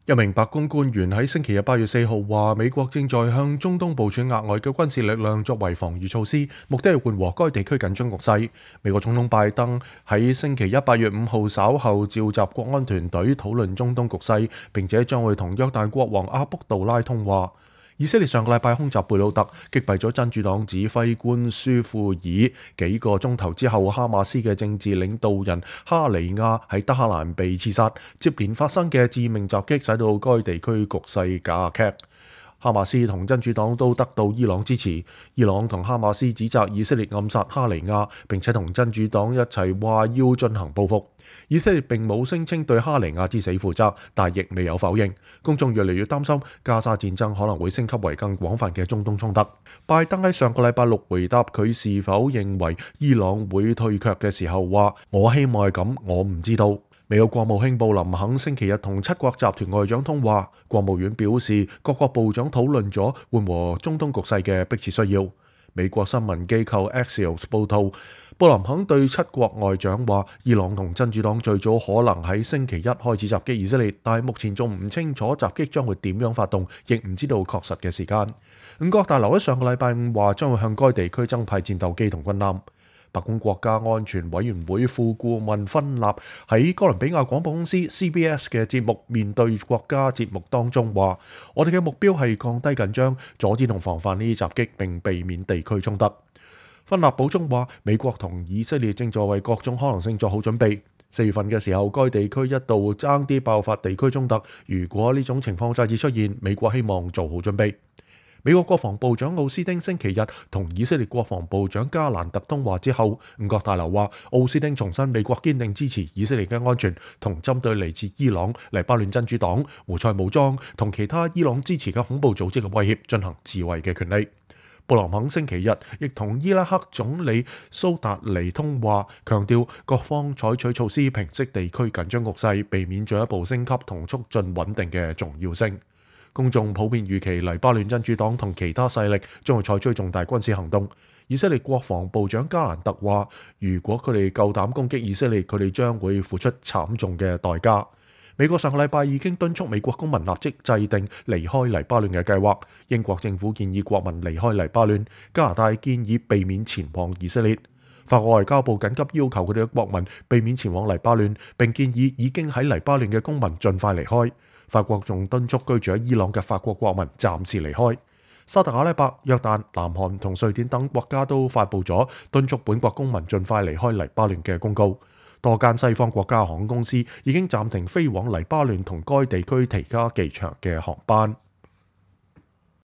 一名白宮官員喺星期日8月4號話，美國正在向中東部署額外嘅軍事力量作為防禦措施，目的係緩和該地區緊張局勢。美國總統拜登喺星期一8月5號稍後召集國安團隊討論中東局勢，並且將會同約旦國王阿卜杜拉通話。以色列上個禮拜空襲貝魯特，擊敗咗真主黨指揮官舒庫爾。幾個鐘頭之後，哈馬斯嘅政治領導人哈尼亞喺德黑蘭被刺殺。接連發生嘅致命襲擊，使到該地區局勢加劇。哈馬斯同真主黨都得到伊朗支持。伊朗同哈馬斯指責以色列暗殺哈尼亞，並且同真主黨一齊話要進行報復。以色列並冇聲稱對哈尼亞之死負責，但亦未有否認。公眾越嚟越擔心加沙戰爭可能會升級為更廣泛嘅中東衝突。拜登喺上個禮拜六回答佢是否認為伊朗會退卻嘅時候話：我希望係咁，我唔知道。美國國務卿布林肯星期日同七國集團外長通話，國務院表示各國部長討論咗緩和中東局勢嘅迫切需要。美國新聞機構 Axios 報道，布林肯對七國外長話，伊朗同真主黨最早可能喺星期一開始襲擊以色列，但係目前仲唔清楚襲擊將會點樣發動，亦唔知道確實嘅時間。五角大樓喺上個禮拜五話將會向該地區增派戰鬥機同軍艦。白宮國家安全委員會副顧問芬納喺哥倫比亞廣播公司 CBS 嘅節目面對國家節目當中話：我哋嘅目標係降低緊張，阻止同防範呢啲襲擊，並避免地區衝突。芬納補充話：美國同以色列正在為各種可能性做好準備。4月份嘅時候，該地區一度爭啲爆發地區衝突。如果呢種情況再次出現，美國希望做好準備。美國國防部長奧斯汀星期日同以色列國防部長加蘭特通話之後，五角大樓話奧斯汀重申美國堅定支持以色列嘅安全，同針對嚟自伊朗、黎巴嫩真主黨、胡塞武裝同其他伊朗支持嘅恐怖組織嘅威脅進行自衛嘅權利。布林肯星期日亦同伊拉克總理蘇達尼通話，強調各方採取措施平息地區緊張局勢，避免進一步升級同促進穩定嘅重要性。公眾普遍預期黎巴嫩真主黨同其他勢力將會採取重大軍事行動。以色列國防部長加蘭特話：如果佢哋夠膽攻擊以色列，佢哋將會付出慘重嘅代價。美國上個禮拜已經敦促美國公民立即制定離開黎巴嫩嘅計劃。英國政府建議國民離開黎巴嫩，加拿大建議避免前往以色列。法國外交部緊急要求佢哋嘅國民避免前往黎巴嫩，並建議已經喺黎巴嫩嘅公民盡快離開。法國仲敦促居住喺伊朗嘅法國國民暫時離開。沙特阿拉伯、約旦、南韓同瑞典等國家都發布咗敦促本國公民盡快離開黎巴嫩嘅公告。多間西方國家航空公司已經暫停飛往黎巴嫩同該地區其他機場嘅航班。